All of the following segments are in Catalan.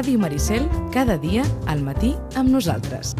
Ràdio Maricel, cada dia al matí amb nosaltres.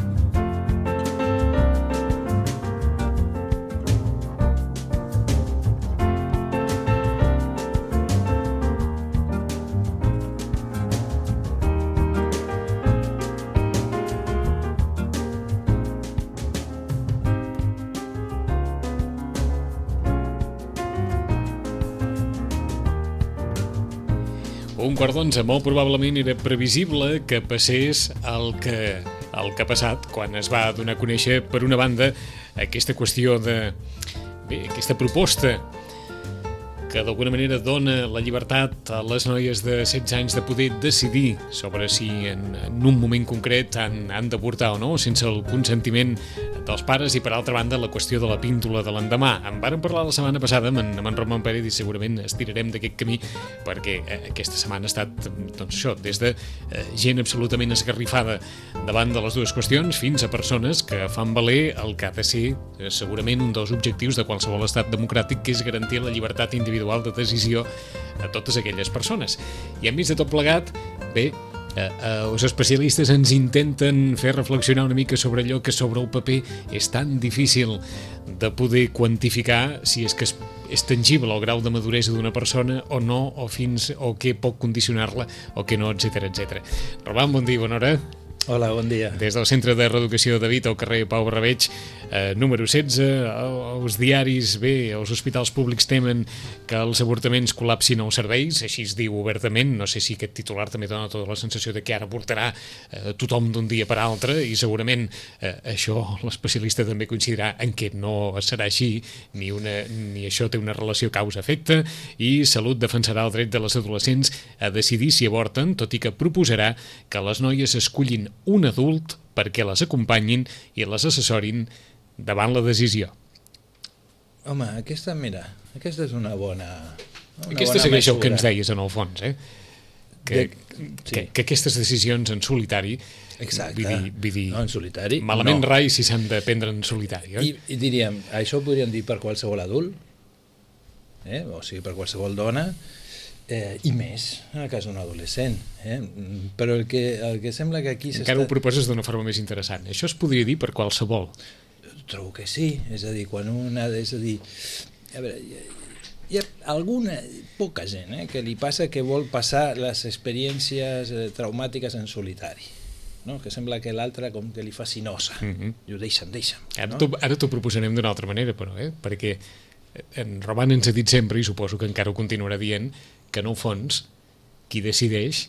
Un quart d'onze, molt probablement era previsible que passés el que ha passat quan es va donar a conèixer, per una banda, aquesta qüestió aquesta proposta que d'alguna manera dona la llibertat a les noies de 16 anys de poder decidir sobre si en un moment concret han d'avortar o no, sense el consentiment dels pares, i per altra banda la qüestió de la píndola de l'endemà. En vàrem parlar la setmana passada amb en Roman Pérez i segurament estirarem d'aquest camí perquè aquesta setmana ha estat, doncs això, des de gent absolutament esgarrifada davant de les dues qüestions fins a persones que fan valer el que ha de ser segurament un dels objectius de qualsevol estat democràtic, que és garantir la llibertat individual de decisió a totes aquelles persones. I enmig de tot plegat, bé, els especialistes ens intenten fer reflexionar una mica sobre allò que sobre el paper és tan difícil de poder quantificar, si és que és tangible el grau de maduresa d'una persona o no, o què pot condicionar-la o què no, etc. Roman, bon dia, bona hora. Hola, bon dia. Des del Centre de Reeducació de Vita, al carrer Pau Barrabeig, número 16, els diaris, els hospitals públics temen que els avortaments col·lapsin els serveis, així es diu obertament. No sé si aquest titular també dona tota la sensació de que ara avortarà tothom d'un dia per altre, i segurament això l'especialista també coincidirà en què no serà així, ni això té una relació causa-efecte, i Salut defensarà el dret de les adolescents a decidir si avorten, tot i que proposarà que les noies escullin un adult perquè les acompanyin i les assessorin davant la decisió. Home, aquesta és una bona... Aquesta segueix el que ens deies en el fons, que aquestes decisions en solitari, exacte, no, en solitari, malament no. Rai si s'han de prendre en solitari. I diríem, això ho podríem dir per qualsevol adult, o sigui, per qualsevol dona, i més en el cas d'un adolescent, però el que sembla que aquí encara ho proposes d'una forma més interessant. Això es podria dir per qualsevol? Trobo que sí, és a dir, quan a veure, hi ha alguna, poca gent que li passa que vol passar les experiències traumàtiques en solitari, no? Que sembla que l'altre com que li faci nosa, i ho deixa'm. Ara t'ho proposarem d'una altra manera, però, perquè en Roman ens ha dit sempre, i suposo que encara ho continuarà dient, que en el fons qui decideix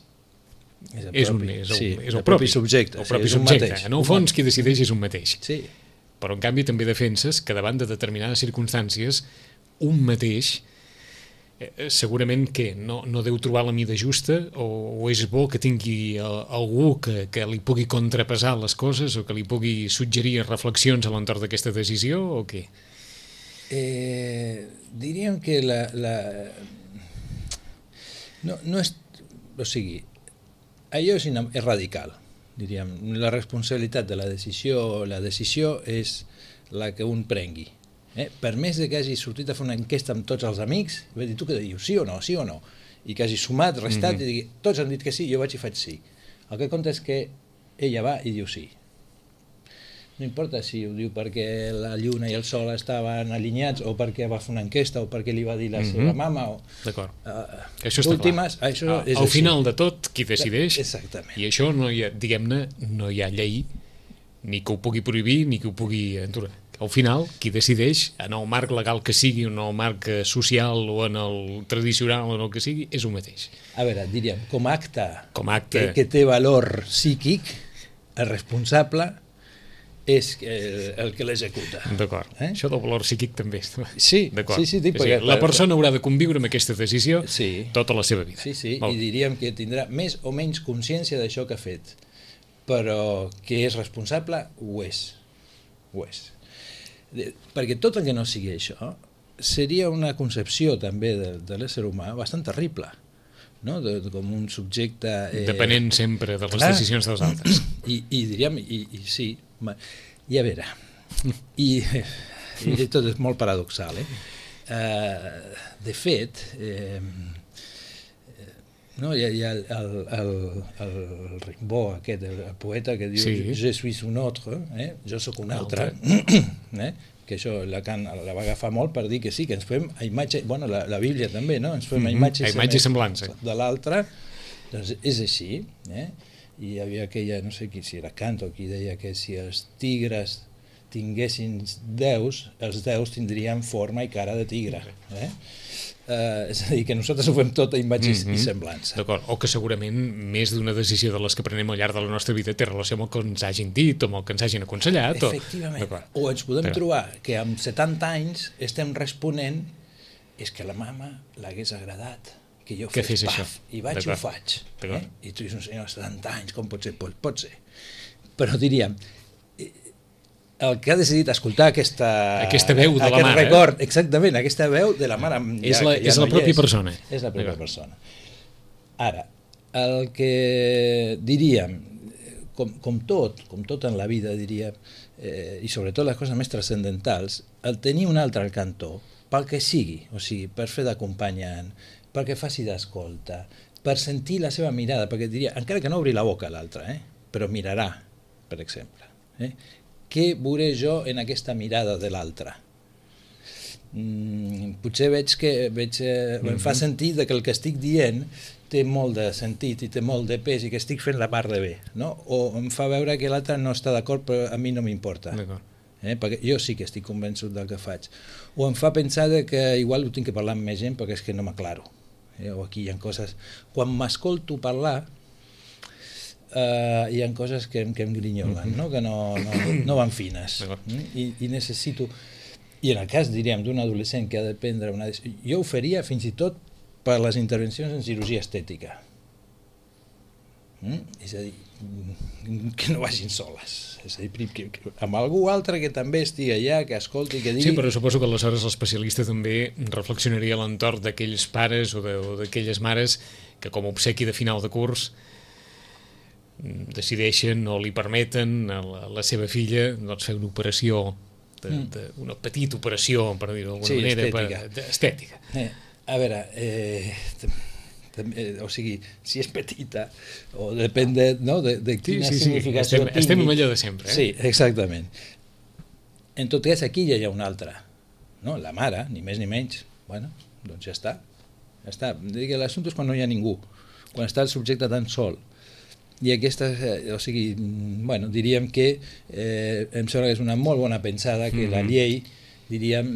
és el propi subjecte. En el fons qui decideix és un mateix. Sí. Però en canvi també defenses que davant de determinades circumstàncies un mateix segurament que no deu trobar la mida justa, o és bo que tingui algú que li pugui contrapesar les coses o que li pugui suggerir reflexions a l'entorn d'aquesta decisió, o què? Diríem que no és, o sigui, allò és radical, diríem. La responsabilitat de la decisió és la que un prengui. Per més que hagi sortit a fer una enquesta amb tots els amics, i va dir, tu què dius, sí o no, i que hagi sumat, restat, i digui, tots han dit que sí, jo vaig i faig sí. El que compta és que ella va i diu sí. No importa si ho diu perquè la lluna i el sol estaven alineats, o perquè va fer una enquesta, o perquè li va dir la seva mama. D'acord. Això està clar. Al final de tot, qui decideix, exactament. I això, diguem-ne, no hi ha llei ni que ho pugui prohibir, ni que ho pugui endurar. Al final, qui decideix, en el marc legal que sigui, en el marc social o en el tradicional o en el que sigui, és un mateix. A veure, diríem, com a acte que té valor psíquic, el responsable és el que l'executa. D'acord. Això del valor psíquic també. Sí, la persona haurà de conviure amb aquesta decisió tota la seva vida. Sí, i diríem que tindrà més o menys consciència d'això que ha fet, però que és responsable, ho és. Perquè tot el que no sigui això seria una concepció també de l'ésser humà bastant terrible, no? Com un subjecte... Depenent sempre de les decisions dels altres. I diríem, i sí, i a veure, i tot és molt paradoxal, de fet, No, hi ha el Rimbaud, aquest, el poeta que diu Je suis un autre, jo sóc un altre, que això Lacan la va agafar molt per dir que sí, que ens fem a imatge, bueno, la Bíblia també, no? Ens fem a imatge i semblança de l'altre, doncs és així, i hi havia aquella, no sé si era Kant o qui deia que si els tigres tinguessin déus, els déus tindrien forma i cara de tigre, és a dir, que nosaltres ho fem tot a imatge i semblança. D'acord, o que segurament més d'una decisió de les que prenem al llarg de la nostra vida té relació amb el que ens hagin dit o amb el que ens hagin aconsellat. Efectivament, o ens podem trobar que amb 70 anys estem responent és que la mama l'hagués agradat que jo fes paf, i vaig i ho faig. I tu dius, un senyor de 70 anys, com pot ser? Pot ser. Però diríem, el que ha decidit escoltar aquesta veu de la mare, record, exactament, aquesta veu de la mare és la pròpia persona. És la pròpia persona. Ara, el que diríem, com tot en la vida, diríem, i sobretot les coses més transcendentals, el tenir un altre al cantó, pel que sigui, o sigui, per fer d'acompanyant, perquè faci d'escolta, per sentir la seva mirada, perquè diria, encara que no obri la boca l'altre, però mirarà, per exemple. Què veuré jo en aquesta mirada de l'altre? Potser veig que em fa sentir que el que estic dient té molt de sentit i té molt de pes i que estic fent la part de bé, no? O em fa veure que l'altre no està d'acord però a mi no m'importa, perquè jo sí que estic convençut del que faig. O em fa pensar que igual ho tinc que parlar amb més gent perquè és que no m'aclaro. O aquí hi ha coses... Quan m'escolto parlar hi ha coses que em grinyolen, no? Que no van fines, i necessito, i en el cas, diríem, d'un adolescent que ha de prendre una decisió, jo ho faria fins i tot per les intervencions en cirurgia estètica, és a dir, que no vagin soles, és a dir, amb algú altre que també estigui allà, que escolti, que digui... Sí, però suposo que aleshores l'especialista també reflexionaria a l'entorn d'aquells pares o d'aquelles mares que com a obsequi de final de curs decideixen o li permeten a la seva filla fer una operació, una petita operació, per dir-ho d'alguna manera, estètica. A veure, o sigui, si és petita, o depèn de quina significació tingui. Estem amb allò de sempre. Sí, exactament. En tot cas, aquí ja hi ha una altra, la mare, ni més ni menys. Bueno, doncs ja està. L'assumpte és quan no hi ha ningú, quan està el subjecte tan sol. I aquesta, o sigui, bueno, diríem que em sembla que és una molt bona pensada que la llei, diríem,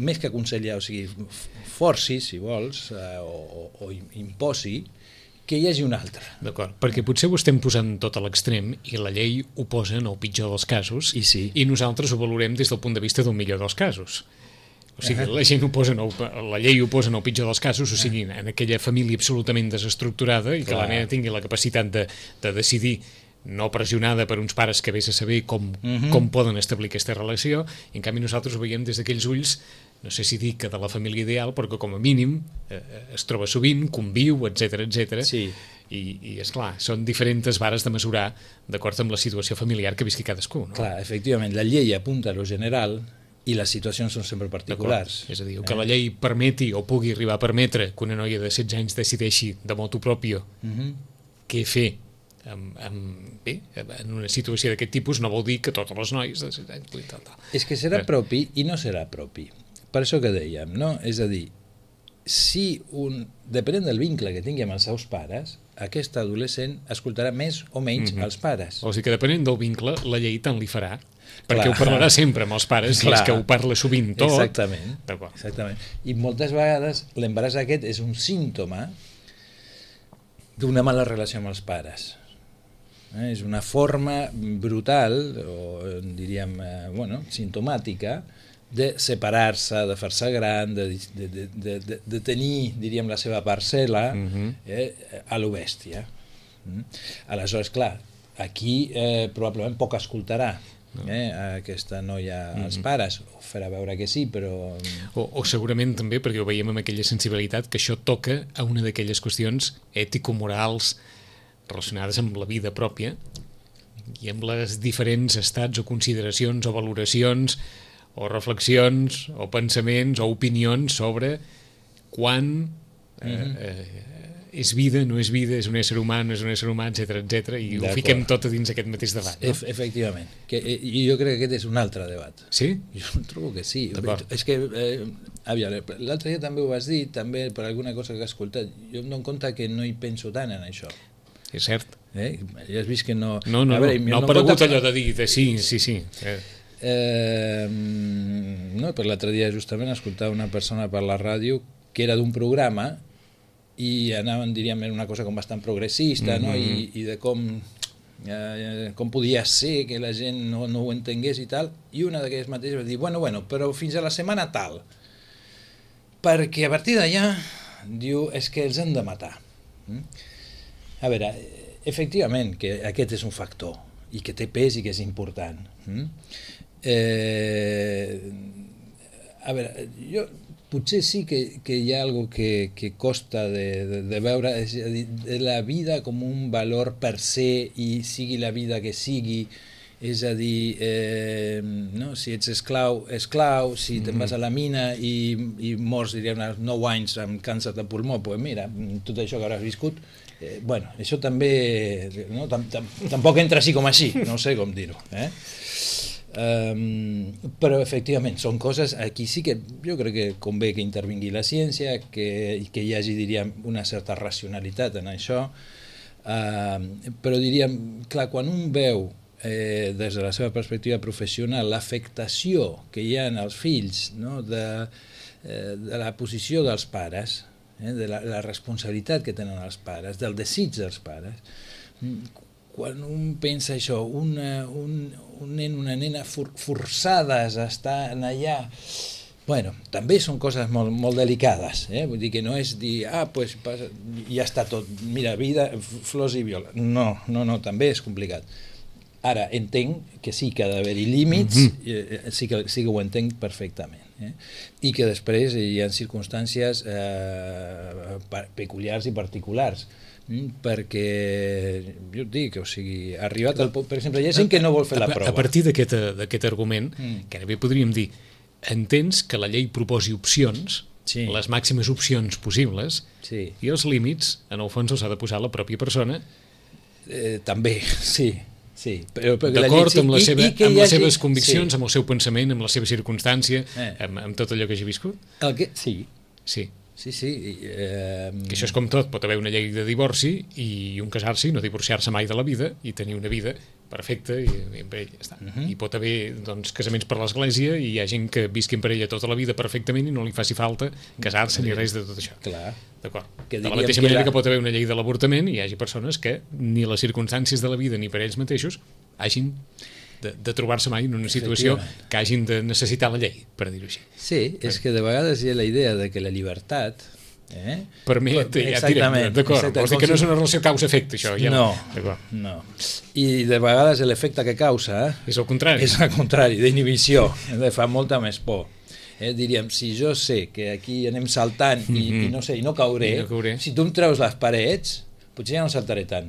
més que aconsellar, o sigui, forci, si vols, o imposi, que hi hagi un altre. D'acord, perquè potser ho estem posant tot a l'extrem i la llei ho posa en el pitjor dels casos i nosaltres ho valorem des del punt de vista del millor dels casos. O sigui, la llei ho posa en el pitjor dels casos, o sigui, en aquella família absolutament desestructurada i que la nena tingui la capacitat de decidir, no pressionada per uns pares que vés a saber com poden establir aquesta relació, i en canvi nosaltres ho veiem des d'aquells ulls, no sé si dir que de la família ideal, perquè com a mínim es troba sovint, conviu, etc. Sí. I esclar, són diferents vares de mesurar d'acord amb la situació familiar que visqui cadascú. Clar, efectivament, la llei apunta a lo general i les situacions són sempre particulars. És a dir, que la llei permeti o pugui arribar a permetre que una noia de 16 anys decideixi de motu propio què fer en una situació d'aquest tipus no vol dir que totes les noies de 16 anys... És que serà propi i no serà propi. Per això que dèiem, no? És a dir, depenent del vincle que tingui amb els seus pares, aquest adolescent escoltarà més o menys els pares. O sigui que depenent del vincle, la llei tant li farà, perquè ho parlarà sempre amb els pares i és que ho parla sovint tot. Exactament. I moltes vegades l'embaràs aquest és un símptoma d'una mala relació amb els pares. És una forma brutal, o diríem, simptomàtica, de separar-se, de fer-se gran, de tenir, diríem, la seva parcel·la a lo bèstia. Aleshores, clar, aquí probablement poc escoltarà aquesta noia als pares, o farà veure que sí, però... O segurament també, perquè ho veiem amb aquella sensibilitat, que això toca a una d'aquelles qüestions ètico-morals relacionades amb la vida pròpia i amb les diferents estats o consideracions o valoracions o reflexions o pensaments o opinions sobre quan és vida, no és vida, és un ésser humà, no és un ésser humà, etc i ho fiquem tot a dins aquest mateix debat. No? Efectivament. I jo crec que aquest és un altre debat. Sí? Jo trobo que sí. És que, l'altre dia també ho vas dir, també per alguna cosa que he escoltat, jo em dono compte que no hi penso tant en això. És cert. Ja has vist que no... No ha aparegut allò de dir, sí. No, per l'altre dia justament escoltava una persona per la ràdio que era d'un programa i anaven, diríem, en una cosa com bastant progressista, no? I de com podia ser que la gent no ho entengués i tal, i una d'aquelles mateixes va dir, bueno, però fins a la setmana tal, perquè a partir d'allà, diu, és que els han de matar. A veure, efectivament, que aquest és un factor, i que té pes i que és important. A veure, jo potser sí que hi ha algo que costa de veure, és a dir, de la vida com un valor per se, i sigui la vida que sigui, és a dir, no? Si ets esclau, si te'n vas a la mina i mors, diríem, als 9 anys amb càncer de pulmó, doncs mira, tot això que hauràs viscut, bueno, això també, no? Tampoc entra així com així, no sé com dir-ho, però efectivament són coses, aquí sí que jo crec que convé que intervingui la ciència, que hi hagi, diríem, una certa racionalitat en això, però diríem, clar, quan un veu des de la seva perspectiva professional l'afectació que hi ha en els fills, no? de la posició dels pares, de la responsabilitat que tenen els pares, del desig dels pares, quan un pensa això, un nen, una nena forçades a estar allà, bueno, també són coses molt delicades, vull dir que no és dir, pues ja està tot, mira, vida, flors i viola, no, també és complicat. Ara, entenc que sí que ha d'haver-hi límits, sí que ho entenc perfectament, i que després hi ha circumstàncies peculiars i particulars, perquè jo et dic, o sigui, arribat al punt, per exemple, hi ha gent que no vol fer la prova. A partir d'aquest argument, que bé podríem dir, entens que la llei proposi opcions, les màximes opcions possibles, i els límits, en el fons, els ha de posar la pròpia persona. També, sí. D'acord amb les seves conviccions, amb el seu pensament, amb la seva circumstància, amb tot allò que hagi viscut? Sí. Que això és com tot, pot haver una llei de divorci i un casar-se i no divorciar-se mai de la vida i tenir una vida perfecta i amb ell ja està. I pot haver casaments per l'església i hi ha gent que visqui amb parella tota la vida perfectament i no li faci falta casar-se ni res de tot això. D'acord. De la mateixa manera que pot haver una llei de l'avortament i hi hagi persones que ni les circumstàncies de la vida ni per ells mateixos hagin de trobar-se mai en una situació que hagin de necessitar la llei, per dir-ho així. Sí, és que de vegades hi ha la idea de que la llibertat permet, d'acord, vols dir que no és una relació causa-efecte, això? No. I de vegades l'efecte que causa és el contrari. És el contrari, d'inhibició, fa molta més por. Diríem, si jo sé que aquí anem saltant i no sé, i no cauré, si tu em treus les parets, potser ja no saltaré tant.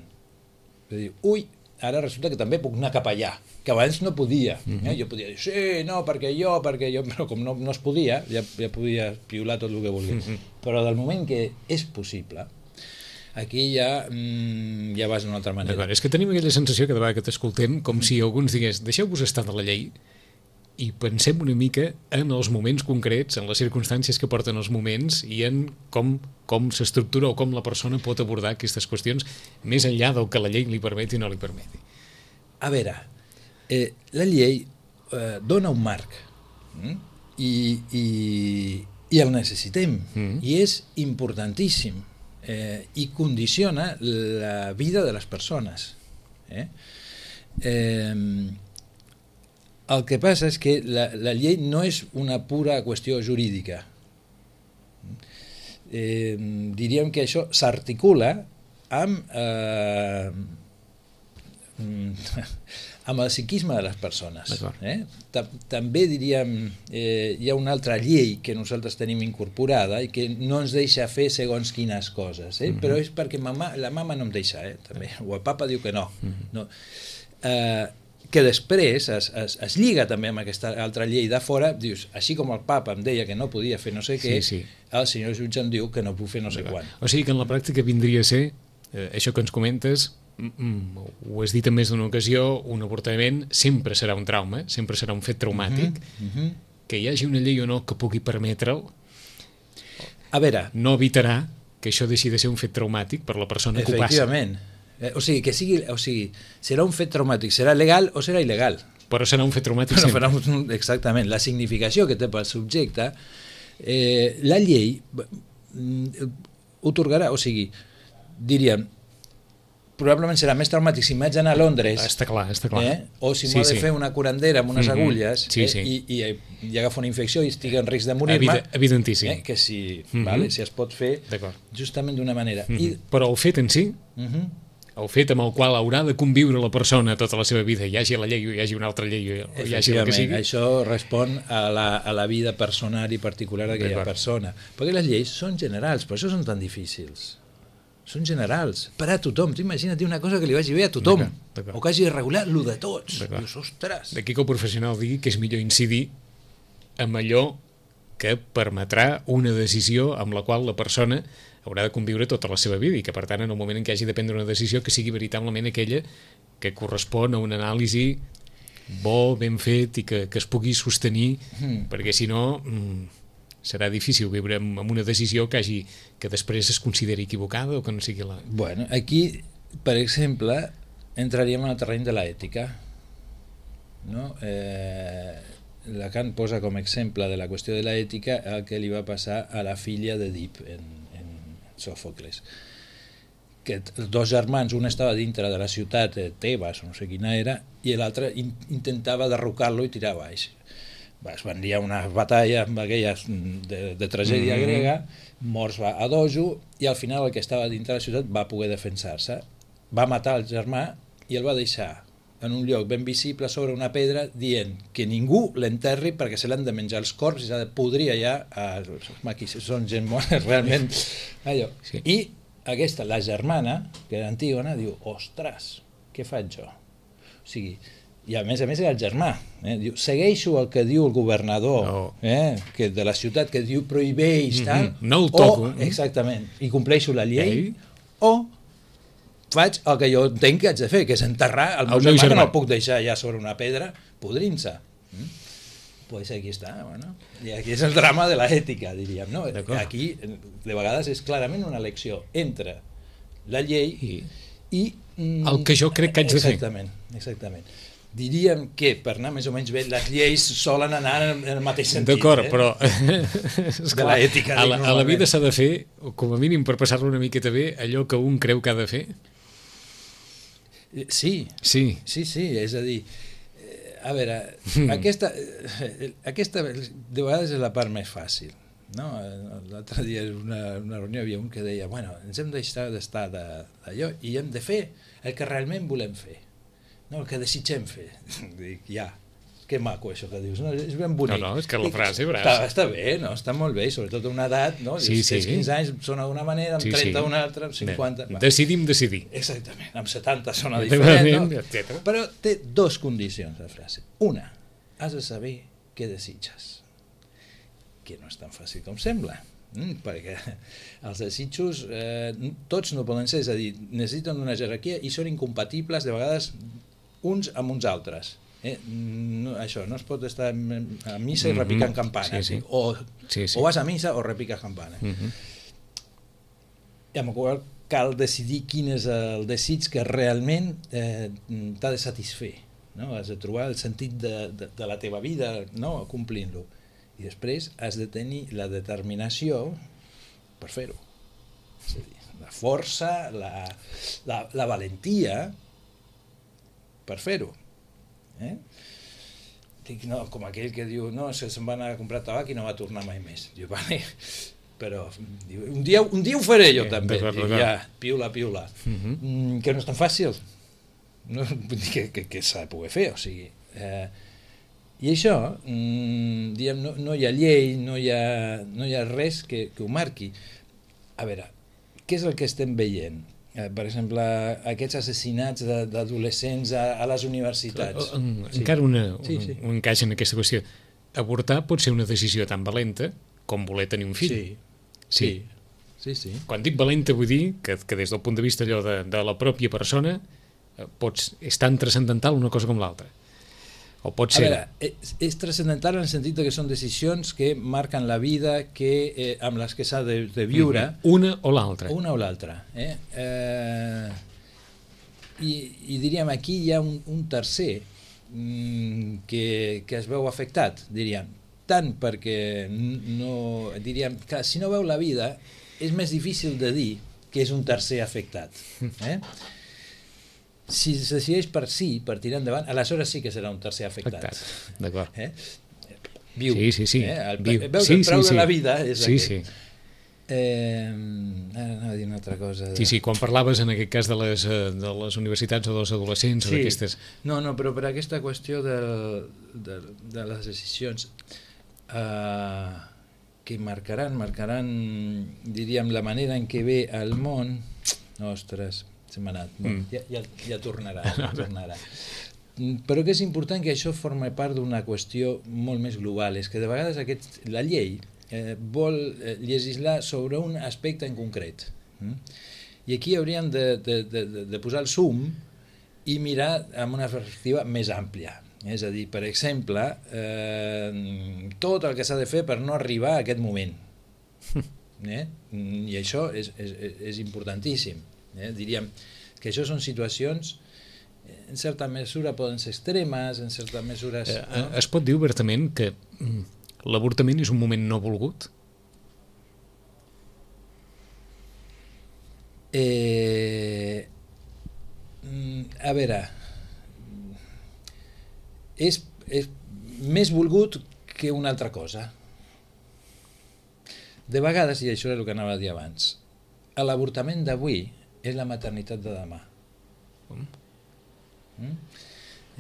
Ui, ara resulta que també puc anar cap allà, que abans no podia. Jo podia dir, sí, no, perquè jo, però com no es podia, ja podia piular tot el que volgués. Però del moment que és possible, aquí ja vas d'una altra manera. És que tenim aquella sensació que de vegades que t'escoltem com si alguns digués, deixeu-vos estar de la llei i pensem una mica en els moments concrets, en les circumstàncies que porten els moments i en com s'estructura o com la persona pot abordar aquestes qüestions més enllà del que la llei li permeti o no li permeti. A veure, la llei dona un marc i el necessitem i és importantíssim i condiciona la vida de les persones. El que passa és que la llei no és una pura qüestió jurídica. Diríem que això s'articula amb el psiquisme de les persones. També diríem, hi ha una altra llei que nosaltres tenim incorporada i que no ens deixa fer segons quines coses, però és perquè la mama no em deixa, també, o el papa diu que no. que després es lliga també amb aquesta altra llei de fora, dius, així com el papa em deia que no podia fer no sé què, el senyor jutge em diu que no puc fer no sé quan. O sigui que en la pràctica vindria a ser, això que ens comentes, ho has dit en més d'una ocasió, un avortament sempre serà un trauma, sempre serà un fet traumàtic, que hi hagi una llei o no que pugui permetre'l, a veure, no evitarà que això deixi de ser un fet traumàtic per la persona que ho passa. Efectivament. O sigui, serà un fet traumàtic, serà legal o serà il·legal. Però serà un fet traumàtic sempre. Exactament. La significació que té pel subjecte, la llei otorgarà, o sigui, diríem, probablement serà més traumàtic si m'haig d'anar a Londres, està clar. o si m'ho he de fer una curandera amb unes agulles i agafo una infecció i estic en risc de morir-me, evidentíssim, que si es pot fer justament d'una manera. Però el fet en si, el fet amb el qual haurà de conviure la persona tota la seva vida, hi hagi la llei o hi hagi una altra llei o hi hagi el que sigui, això respon a la vida personal i particular d'aquella persona, perquè les lleis són generals, per això són tan difícils. Són generals, per a tothom. Tu imagina't una cosa que li vagi bé a tothom, o que hagi de regular lo de tots. Dius, ostres. D'aquí que el professional digui que és millor incidir en allò que permetrà una decisió amb la qual la persona haurà de conviure tota la seva vida i que, per tant, en el moment en què hagi de prendre una decisió, que sigui veritablement aquella que correspon a una anàlisi bo, ben fet i que es pugui sostenir, perquè si no serà difícil viure amb una decisió que després es consideri equivocada o que no sigui la... Bueno, aquí, per exemple, entraríem en el terreny de l'ètica, no? Lacan posa com a exemple de la qüestió de l'ètica el que li va passar a la filla d'Èdip en Sòfocles, que els dos germans, un estava dintre de la ciutat de Tebas, no sé quina era, i l'altre intentava derrocar-lo i tirar baix. Es van liar una batalla amb aquelles de tragèdia grega, morts a dojo, i al final el que estava dintre de la ciutat va poder defensar-se, va matar el germà i el va deixar en un lloc ben visible sobre una pedra dient que ningú l'enterri perquè se l'han de menjar els corps i s'ha de podrir allà són gent morta realment allò. I aquesta, la germana, que era Antígona, diu, ostres, què faig jo? O sigui, i a més era el germà, diu, segueixo el que diu el governador que de la ciutat, que diu prohibeix tal, no el toco, exactament, i compleixo la llei, o faig el que jo entenc que haig de fer, que és enterrar el meu germà, que no el puc deixar ja sobre una pedra podrint-se. Pues aquí està, bueno. I aquí és el drama de l'ètica, diríem, no? Aquí, de vegades, és clarament una elecció entre la llei i el que jo crec que haig de fer. Exactament. Diríem que, per anar més o menys bé, les lleis solen anar en el mateix sentit. D'acord, però de l'ètica. A la vida s'ha de fer, com a mínim per passar-lo una miqueta bé, allò que un creu que ha de fer? Sí, és a dir, a veure, aquesta de vegades és la part més fàcil, no? L'altre dia en una reunió hi havia un que deia, bueno, ens hem d'estar d'allò i hem de fer el que realment volem fer, no el que desitgem fer. Dic, ja, que maco això que dius, no? És ben bonic. No, és que la frase està bé, no? Està molt bé, sobretot a una edat, no? Dius, 15 anys sona d'una manera, amb 30 una altra, amb 50... Decidim decidir. Exactament, amb 70 sona diferent, no? Però té dos condicions la frase. Una, has de saber què desitges, que no és tan fàcil com sembla, perquè els desitjos tots no poden ser, és a dir, necessiten una jerarquia i són incompatibles de vegades uns amb uns altres. Això, no es pot estar a missa i repicant campanes, o vas a missa o repiques campanes. I amb el qual cal decidir quin és el desig que realment t'ha de satisfer, no? Has de trobar el sentit de la teva vida, no? Complint-lo, i després has de tenir la determinació per fer-ho, és a dir, la força, la valentia per fer-ho. Dic, no, com aquell que diu, no, se'n va anar a comprar tabac i no va tornar mai més. Diu, vale, però diu, un dia ho faré jo també. Dic, ja, piula. Que no és tan fàcil, no, que s'ha de poder fer, o sigui, i això, diguem, no hi ha llei, no hi ha res que ho marqui. A veure, què és el que estem veient? per exemple, aquests assassinats d'adolescents a les universitats. Encara un encaix en aquesta qüestió. Avortar pot ser una decisió tan valenta com voler tenir un fill. Sí. Quan dic valenta vull dir que des del punt de vista allò de la pròpia persona és tan transcendental una cosa com l'altra. O pot ser... A veure, és transcendental en el sentit que són decisions que marquen la vida amb les que s'ha de viure. Una o l'altra. Una o l'altra. I diríem, aquí hi ha un tercer que es veu afectat, diríem. Tant perquè diríem que si no veu la vida és més difícil de dir que és un tercer afectat. Si es decideix per tirar endavant, aleshores sí que serà un tercer afectat. D'acord. Viu. Sí. Veus el preu de la vida és aquest. Sí. Ara anava a dir una altra cosa. Sí, quan parlaves en aquest cas de les universitats o dels adolescents o d'aquestes... No, però per aquesta qüestió de les decisions que marcaran, diríem, la manera en què ve el món... Ostres... se m'ha anat, ja tornarà. Però que és important que això forma part d'una qüestió molt més global, és que de vegades la llei vol legislar sobre un aspecte en concret, i aquí hauríem de posar el zoom i mirar amb una perspectiva més àmplia, és a dir, per exemple, tot el que s'ha de fer per no arribar a aquest moment, i això és importantíssim. Diríem que això són situacions en certa mesura poden ser extremes, en certa mesura... Es pot dir obertament que l'avortament és un moment no volgut? A veure, és més volgut que una altra cosa. De vegades, i això és el que anava a dir abans, l'avortament d'avui és la maternitat de demà.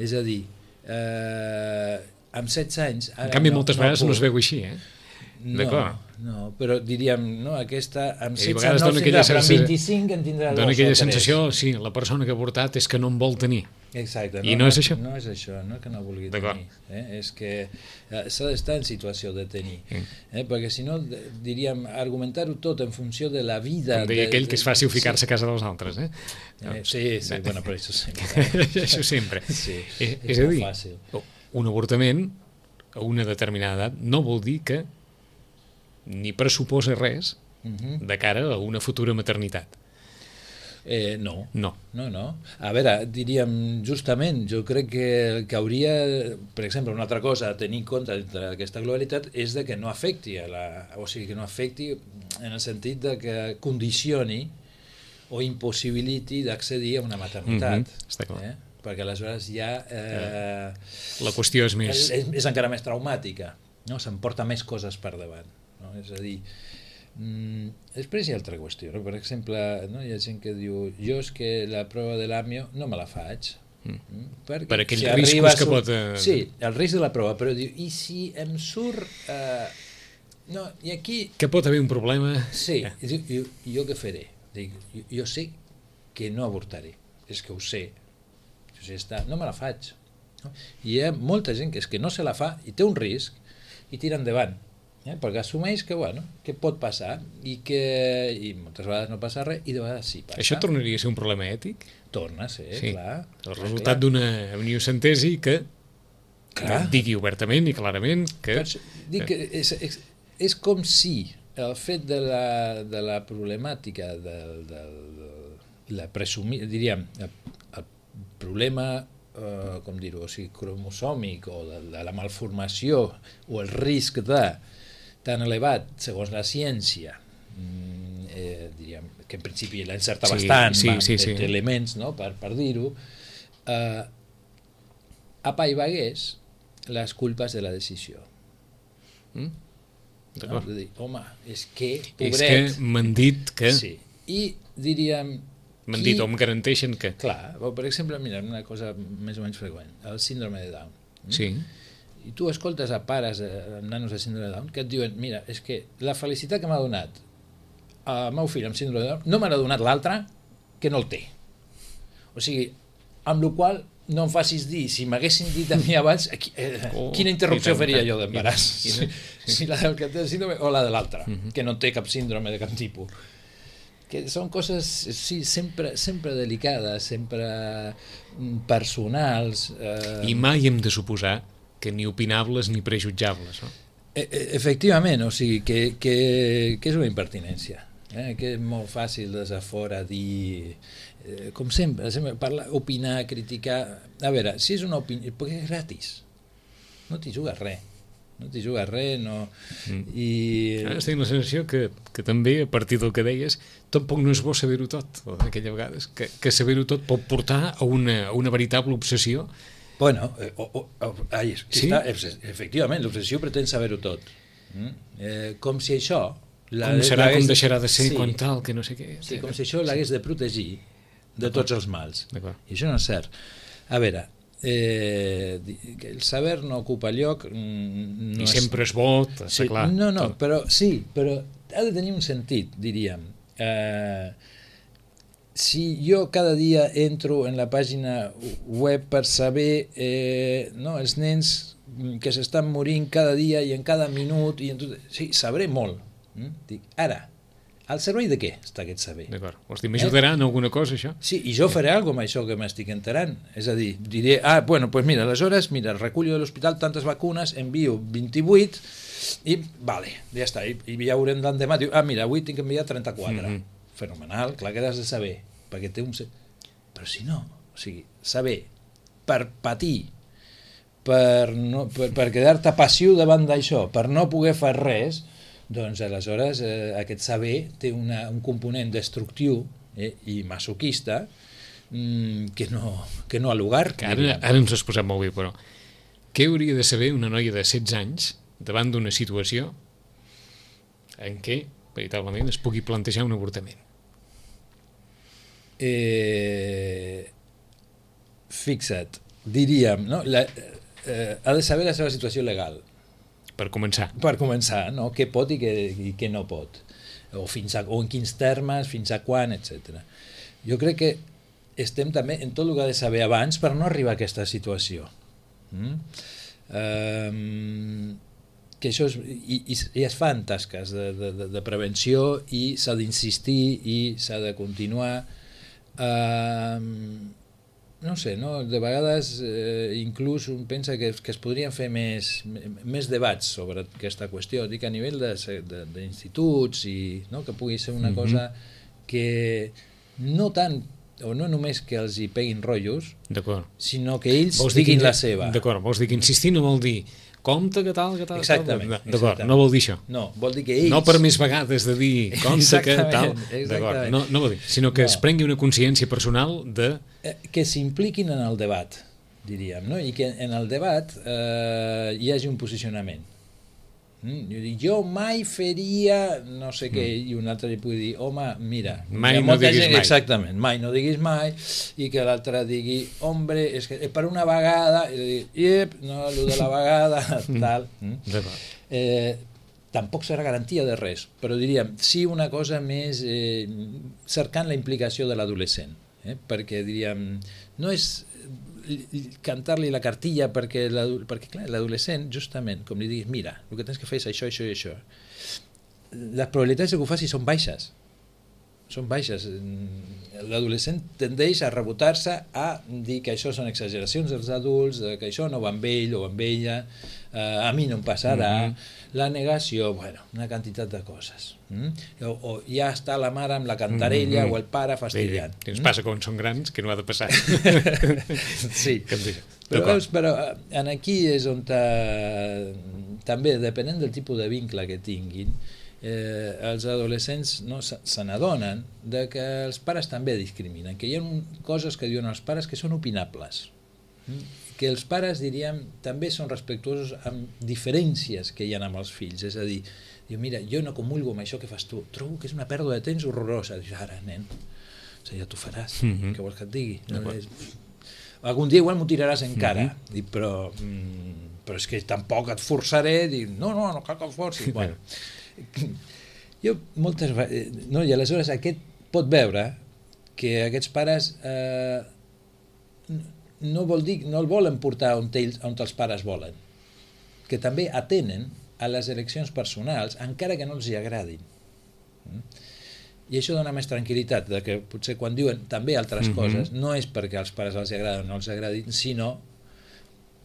És a dir, amb 16 anys... En canvi, moltes vegades no es veu així, No, però diríem, aquesta amb 16 anys no tindrà, però amb 25 en tindrà 2 o 3. Dona aquella sensació, sí, la persona que ha avortat és que no en vol tenir. Exacte. I no és això? No és això, no és que no vulgui tenir. És que s'ha d'estar en situació de tenir. Perquè si no, diríem, argumentar-ho tot en funció de la vida... Com deia aquell que és fàcil ficar-se a casa dels altres, Sí, bueno, però això sempre. Això sempre. És molt fàcil. Un avortament a una determinada edat no vol dir que ni pressuposa res de cara a una futura maternitat. No. A veure, diríem, justament, jo crec que hauria, per exemple, una altra cosa a tenir en compte d'aquesta globalitat és de que no afecti o sigui, que no afecti en el sentit de que condicioni o impossibiliti d'accedir a una maternitat. Està clar. Perquè aleshores ja... La qüestió és més... És encara més traumàtica, s'emporta més coses per davant. És a dir, després hi ha altra qüestió, per exemple, hi ha gent que diu jo és que la prova de l'àmio no me la faig per aquells riscos que pot... Sí, el risc de la prova, però diu, i si em surt i aquí... Que pot haver un problema... Sí, jo què faré? Dic, jo sé que no avortaré, és que ho sé, no me la faig. I hi ha molta gent que és que no se la fa i té un risc i tira endavant, perquè assumeix que, que pot passar i moltes vegades no passa res i de vegades sí passa. Això tornaria a ser un problema ètic? Torna a ser, clar. El resultat d'una amniocentesi que digui obertament i clarament que... Dic que és com si el fet de la problemàtica diríem, el problema com dir-ho, cromosòmic o de la malformació o el risc tan elevat, segons la ciència, diríem que en principi l'encerta bastant, té elements per dir-ho, apaivagués les culpes de la decisió. De dir, home, és que, pobret... És que m'han dit que... Sí, i diríem... M'han dit o em garanteixen que... Clar, per exemple, mira, una cosa més o menys freqüent, el síndrome de Down. Sí. I tu escoltes a pares amb nanos de síndrome de Down que et diuen, mira, és que la felicitat que m'ha donat el meu fill amb síndrome de Down no m'ha donat l'altre que no el té. O sigui, amb la qual no em facis dir, si m'haguessin dit a mi abans, quina interrupció faria jo d'embaràs? Si la del que té el síndrome o la de l'altre, que no té cap síndrome de cap tipus. Que són coses, sí, sempre delicades, sempre personals. I mai hem de suposar que ni opinables ni prejutjables, no? Efectivament, o sigui, que és una impertinència, que és molt fàcil des de fora dir... com sempre parlar, opinar, criticar. A veure, si és una opinió, perquè és gratis, no t'hi jugues res, no. I ara tinc la sensació que també, a partir del que deies, tampoc no és bo saber-ho tot, o d'aquella vegades, que saber-ho tot pot portar a una veritable obsessió. Bueno, efectivament, l'obsessió pretén saber-ho tot. Com si això... Com serà, com deixarà de ser, quan tal, que no sé què. Sí, com si això l'hagués de protegir de tots els mals. I això no és cert. A veure, el saber no ocupa lloc... I sempre és bo, està clar. No, però ha de tenir un sentit, diríem. Si jo cada dia entro en la pàgina web per saber els nens que s'estan morint cada dia i en cada minut, sí, sabré molt. Dic, ara, al servei de què està aquest saber? D'acord, vols dir, m'ajudarà en alguna cosa això? Sí, i jo faré alguna cosa amb això que m'estic enterant, és a dir, diré, bueno, doncs mira, aleshores, recullo de l'hospital tantes vacunes, envio 28 i, vale, ja està, i ja haurem d'endemà, diu, mira, avui tinc que enviar 34, fenomenal, clar que has de saber, perquè té un... Però si no, o sigui, saber per patir, per quedar-te passiu davant d'això, per no poder fer res, doncs aleshores aquest saber té un component destructiu i masoquista que no ha lugar. Ara ens has posat molt bé, però què hauria de saber una noia de 16 anys davant d'una situació en què, veritablement, es pugui plantejar un avortament? Fixa't, diríem, no? Ha de saber la seva situació legal. Per començar. Per començar, no? Què pot i què no pot. O en quins termes, fins a quan, etc. Jo crec que estem també en tot el que ha de saber abans per no arribar a aquesta situació. Que això i es fan tasques de prevenció i s'ha d'insistir i s'ha de continuar. No sé, no? De vegades inclús un pensa que es podrien fer més debats sobre aquesta qüestió, dic a nivell d'instituts i que pugui ser una cosa que no tant o no només que els hi peguin rotllos, sinó que ells diguin la seva. D'acord, vols dir que insistir no vol dir compte que tal, que tal. Exactament. D'acord, no vol dir això. No, vol dir que ells... No per més vegades de dir compte que tal. D'acord, no vol dir, sinó que es prengui una consciència personal de... Que s'impliquin en el debat, diríem, no? I que en el debat hi hagi un posicionament. Jo mai faria no sé què, i un altre li pugui dir, home, mira, mai no diguis mai. Exactament, mai no diguis mai, i que l'altre digui, hombre, és que per una vegada, i dir, no, el de la vegada, tal. Tampoc serà garantia de res, però diríem, sí una cosa més cercant la implicació de l'adolescent, perquè diríem, no és cantar-li la cartilla perquè clar, l'adolescent, justament, com li diguis, mira, el que tens que fer és això, això i això. Les probabilitats que ho faci són baixes. Són baixes. L'adolescent tendeix a rebotar-se a dir que això són exageracions dels adults, que això no va amb ell o amb ella, a mi no em passarà, la negació, bueno, una quantitat de coses. O ja està la mare amb la cantarella o el pare fastidiant. Ens passa quan són grans, que no ha de passar. Sí, però aquí és on també, depenent del tipus de vincle que tinguin, els adolescents se n'adonen que els pares també discriminen, que hi ha coses que diuen els pares que són opinables, que els pares, diríem, també són respectuosos amb diferències que hi ha amb els fills, és a dir, mira, jo no comulgo amb això que fas tu, trobo que és una pèrdua de temps horrorosa. Dius, ara, nen, ja t'ho faràs, què vols que et digui? Algun dia igual m'ho tiraràs en cara, però és que tampoc et forçaré, no cal que et forcis. Bueno, jo moltes vegades, i aleshores aquest pot veure que aquests pares no vol dir, no el volen portar on els pares volen, que també atenen a les eleccions personals, encara que no els hi agradin. I això dona més tranquil·litat, de que potser quan diuen també altres coses, no és perquè als pares els agraden o no els agradin, sinó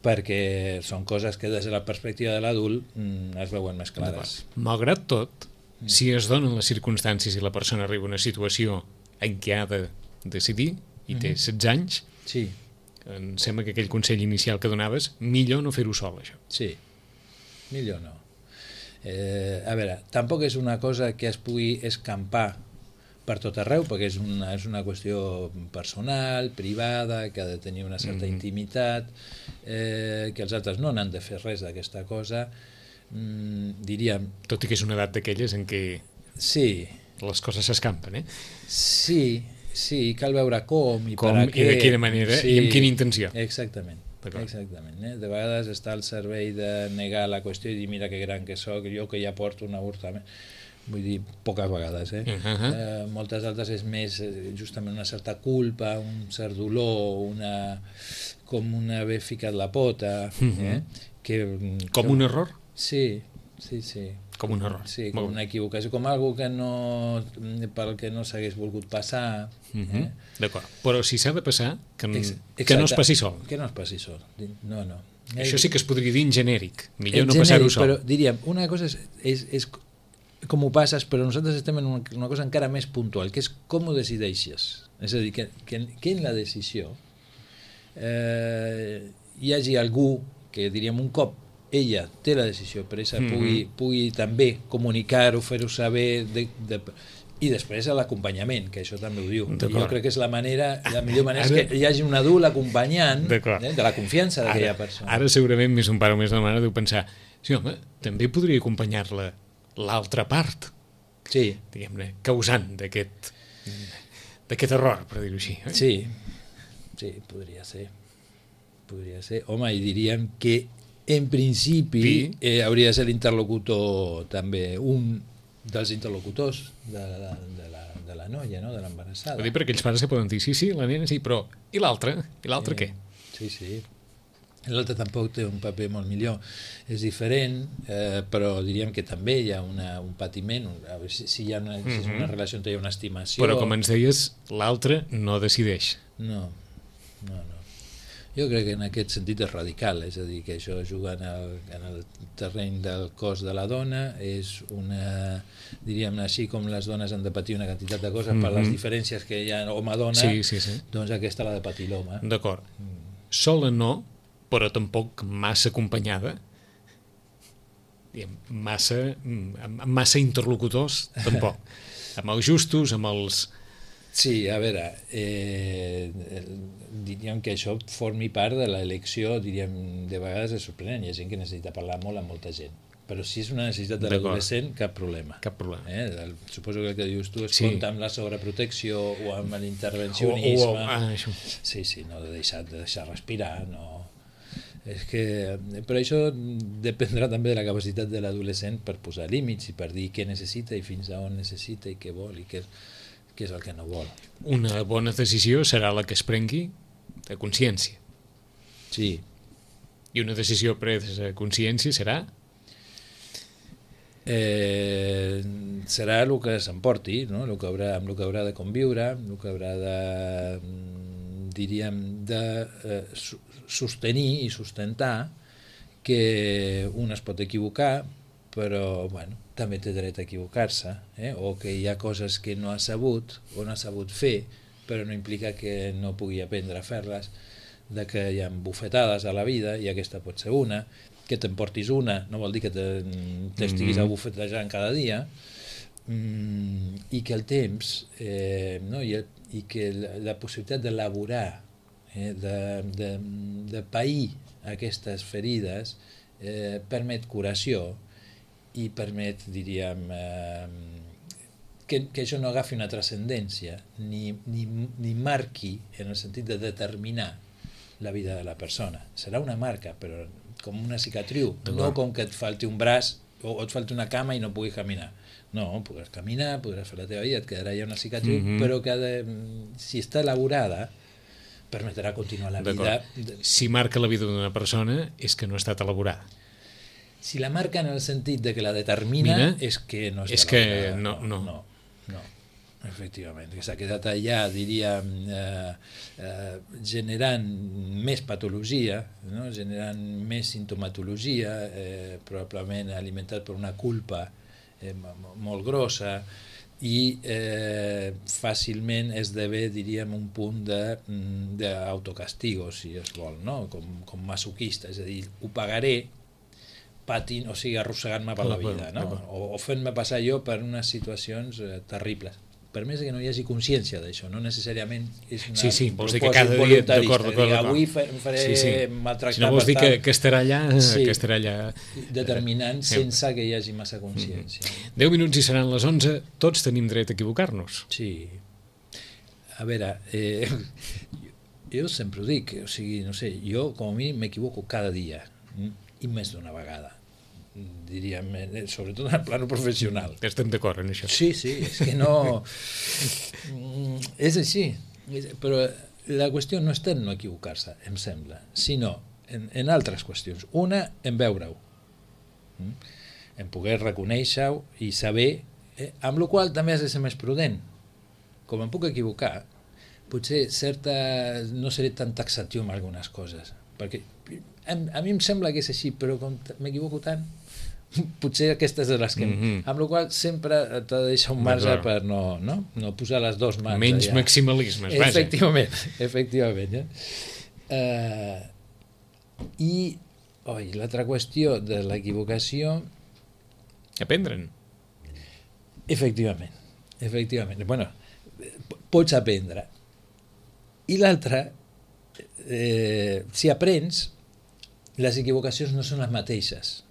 perquè són coses que des de la perspectiva de l'adult es veuen més clares. Malgrat tot, si es donen les circumstàncies i la persona arriba a una situació en què ha de decidir i té 16 anys, sí. Em sembla que aquell consell inicial que donaves, millor no fer-ho sol, això. Sí, millor no. A veure, tampoc és una cosa que es pugui escampar per tot arreu, perquè és una qüestió personal, privada, que ha de tenir una certa intimitat, que els altres no n'han de fer res d'aquesta cosa, diríem... Tot i que és una edat d'aquelles en què sí. Les coses s'escampen, Sí, cal veure com i per a què. I de quina manera i amb quina intenció. Exactament. De vegades està al servei de negar la qüestió i dir mira que gran que soc, jo que ja porto un avortament. Vull dir, poques vegades. Moltes altres és més justament una certa culpa, un cert dolor, com un haver ficat la pota. Com un error? Sí. Com un error. Sí, com una equivocació, com algo que no, pel que no s'hagués volgut passar. D'acord, però si s'ha de passar, que no es passi sol. Que no es passi sol, no. Això sí que es podria dir en genèric, millor no passar-ho sol. Però diríem, una cosa és com ho passes, però nosaltres estem en una cosa encara més puntual, que és com ho decideixes. És a dir, que en la decisió hi hagi algú que, diríem, un cop ella té la decisió presa, pugui també comunicar-ho, fer-ho saber, i després a l'acompanyament, que això també ho diu. Jo crec que és la millor manera és que hi hagi un adult acompanyant de la confiança d'aquella persona. Ara segurament més un pare o més una mare deu pensar, sí home, també podria acompanyar-la l'altra part, diguem-ne, causant d'aquest error, per dir-ho així. Sí, podria ser. Home, i diríem que en principi hauria de ser l'interlocutor també, un dels interlocutors de la noia, no? De l'embarassada. Vull dir, per aquells pares que poden dir, sí, la nena sí, però i l'altre? I l'altre què? Sí. L'altre tampoc té un paper molt millor. És diferent, però diríem que també hi ha un patiment, si hi ha una relació on hi ha una estimació... Però, com ens deies, l'altre no decideix. No. Jo crec que en aquest sentit és radical, és a dir, que això juga en el terreny del cos de la dona, és diríem així, com les dones han de patir una quantitat de coses per les diferències que hi ha home-dona, doncs aquesta l'ha de patir l'home. D'acord. Sola no, però tampoc massa acompanyada, massa interlocutors, tampoc. Amb els justos, amb els... Sí, a veure, diríem que això formi part de l'elecció, diríem, de vegades és sorprenent, hi ha gent que necessita parlar molt amb molta gent, però si és una necessitat de l'adolescent, cap problema. Suposo que el que dius tu es compta amb la sobreprotecció o amb l'intervencionisme. Sí, no de deixar respirar, no. Però això dependrà també de la capacitat de l'adolescent per posar límits i per dir què necessita i fins a on necessita i què vol i què és el que no vol. Una bona decisió serà la que es prengui de consciència. Sí. I una decisió presa de consciència serà? Serà el que s'emporti, no? Amb el que haurà de conviure, el que haurà de, diríem, sostenir i sustentar que un es pot equivocar, però també té dret a equivocar-se, o que hi ha coses que no ha sabut o no ha sabut fer, però no implica que no pugui aprendre a fer-les, de que hi ha bufetades a la vida, i aquesta pot ser una, que t'emportis una, no vol dir que t'estiguis abufetejant cada dia, i que el temps i que la possibilitat d'elaborar, de pair aquestes ferides permet curació i permet, diríem, que això no agafi una transcendència ni marqui en el sentit de determinar la vida de la persona. Serà una marca, però com una cicatriu, no com que et falti un braç o et falta una cama i no puguis caminar. No, podràs caminar, podràs fer la teva vida, et quedarà ja una cicatriu, però que si està elaborada permetrà continuar la vida. Si marca la vida d'una persona és que no ha estat elaborada. Si la marca en el sentit de que la determina, és que no està elaborada. No. Efectivament, que s'ha quedat allà, diríem, generant més patologia, no? Generant més sintomatologia, probablement alimentat per una culpa molt grossa, i fàcilment esdevé, diríem, un punt d'autocastigo, si es vol, no? Com masoquista, és a dir, ho pagaré patint, o sigui, arrossegant-me per la vida, no? O fent-me passar jo per unes situacions terribles. Per més que no hi hagi consciència d'això, no necessàriament és una vols dir que cada dia, d'acord. Avui faré maltractar. Si no vols dir que estarà allà determinant sense que hi hagi massa consciència. 10 minuts i seran les 11, tots tenim dret a equivocar-nos. Sí. A veure, jo sempre ho dic, o sigui, no sé, jo com a mínim m'equivoco cada dia, i més d'una vegada, diríem, sobretot en el plano professional. Estem d'acord en això. Sí, és que no... és així, però la qüestió no està en no equivocar-se, em sembla, sinó en altres qüestions. Una, en veure-ho, en poder reconèixer-ho i saber, amb la qual també has de ser més prudent. Com em puc equivocar, potser no seré tan taxatiu amb algunes coses, perquè a mi em sembla que és així, però com m'equivoco tant, potser aquestes de les que... Amb la qual sempre t'ha de deixar un marge per no posar les dues mans. Menys maximalismes, vaja. Efectivament. I l'altra qüestió de l'equivocació... Aprendre'n. Efectivament. Bueno, pots aprendre. I l'altra, si aprens, les equivocacions no són les mateixes.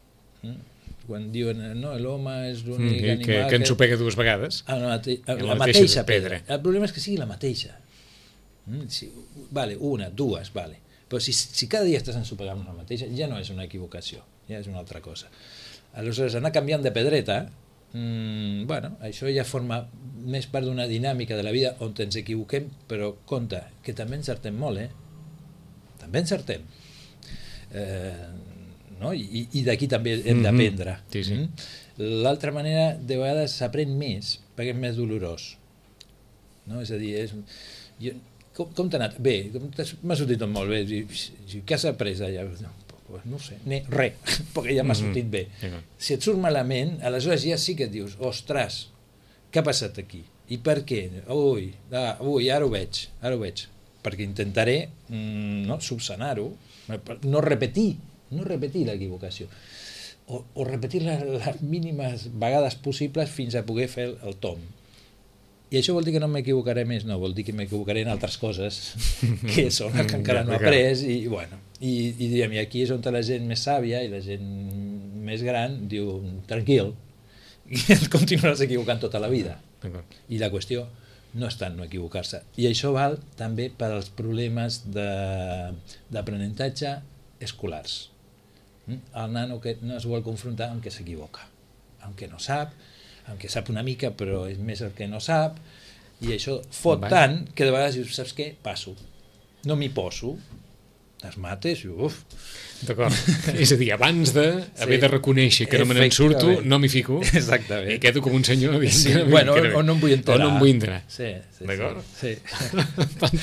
Quan diuen, no, l'home és l'únic animal... Que ensopega dues vegades. La mateixa pedra. El problema és que sigui la mateixa. Una, dues, vale. Però si cada dia estàs ensopegant la mateixa, ja no és una equivocació, ja és una altra cosa. Aleshores, anar canviant de pedreta, això ja forma més part d'una dinàmica de la vida on ens equivoquem, però compte, que també encertem molt, també encertem. I d'aquí també hem d'aprendre. L'altra manera, de vegades s'aprèn més perquè és més dolorós, és a dir, com t'ha anat? Bé, m'ha sortit tot molt bé. Què has après allà? No sé, res, perquè ja m'ha sortit bé. Si et surt malament, aleshores ja sí que et dius, ostres, què ha passat aquí? I per què? Ui, ara ho veig, perquè intentaré subsanar-ho, no repetir l'equivocació, o repetir les mínimes vegades possibles fins a poder fer el tomb. I això vol dir que no m'equivocaré més? No, vol dir que m'equivocaré en altres coses que són les que encara no he après, i aquí és on la gent més sàvia i la gent més gran diu, tranquil, i et continuaràs equivocant tota la vida. I la qüestió no està en no equivocar-se. I això val també per als problemes d'aprenentatge escolars. El nano que no es vol confrontar amb què s'equivoca, amb què no sap, amb què sap una mica però és més el que no sap, i això fot tant que de vegades dius, saps què? Passo, no m'hi poso, les mates i uf. D'acord, és a dir, abans d'haver de reconèixer que no me n'en surto, no m'hi fico. Exactament. I quedo com un senyor dient o no em vull enterar. O no em vull enterar. Sí. D'acord? Sí.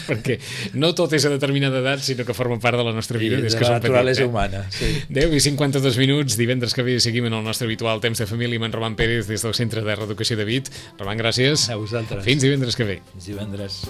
Perquè no tot és a determinada edat, sinó que forma part de la nostra vida. I de la naturalesa humana. 10 i 52 minuts, divendres que ve seguim en el nostre habitual temps de família amb en Roman Pérez des del Centre de Reeducació de Vic. Roman, gràcies. A vosaltres. Fins divendres que ve. Fins divendres.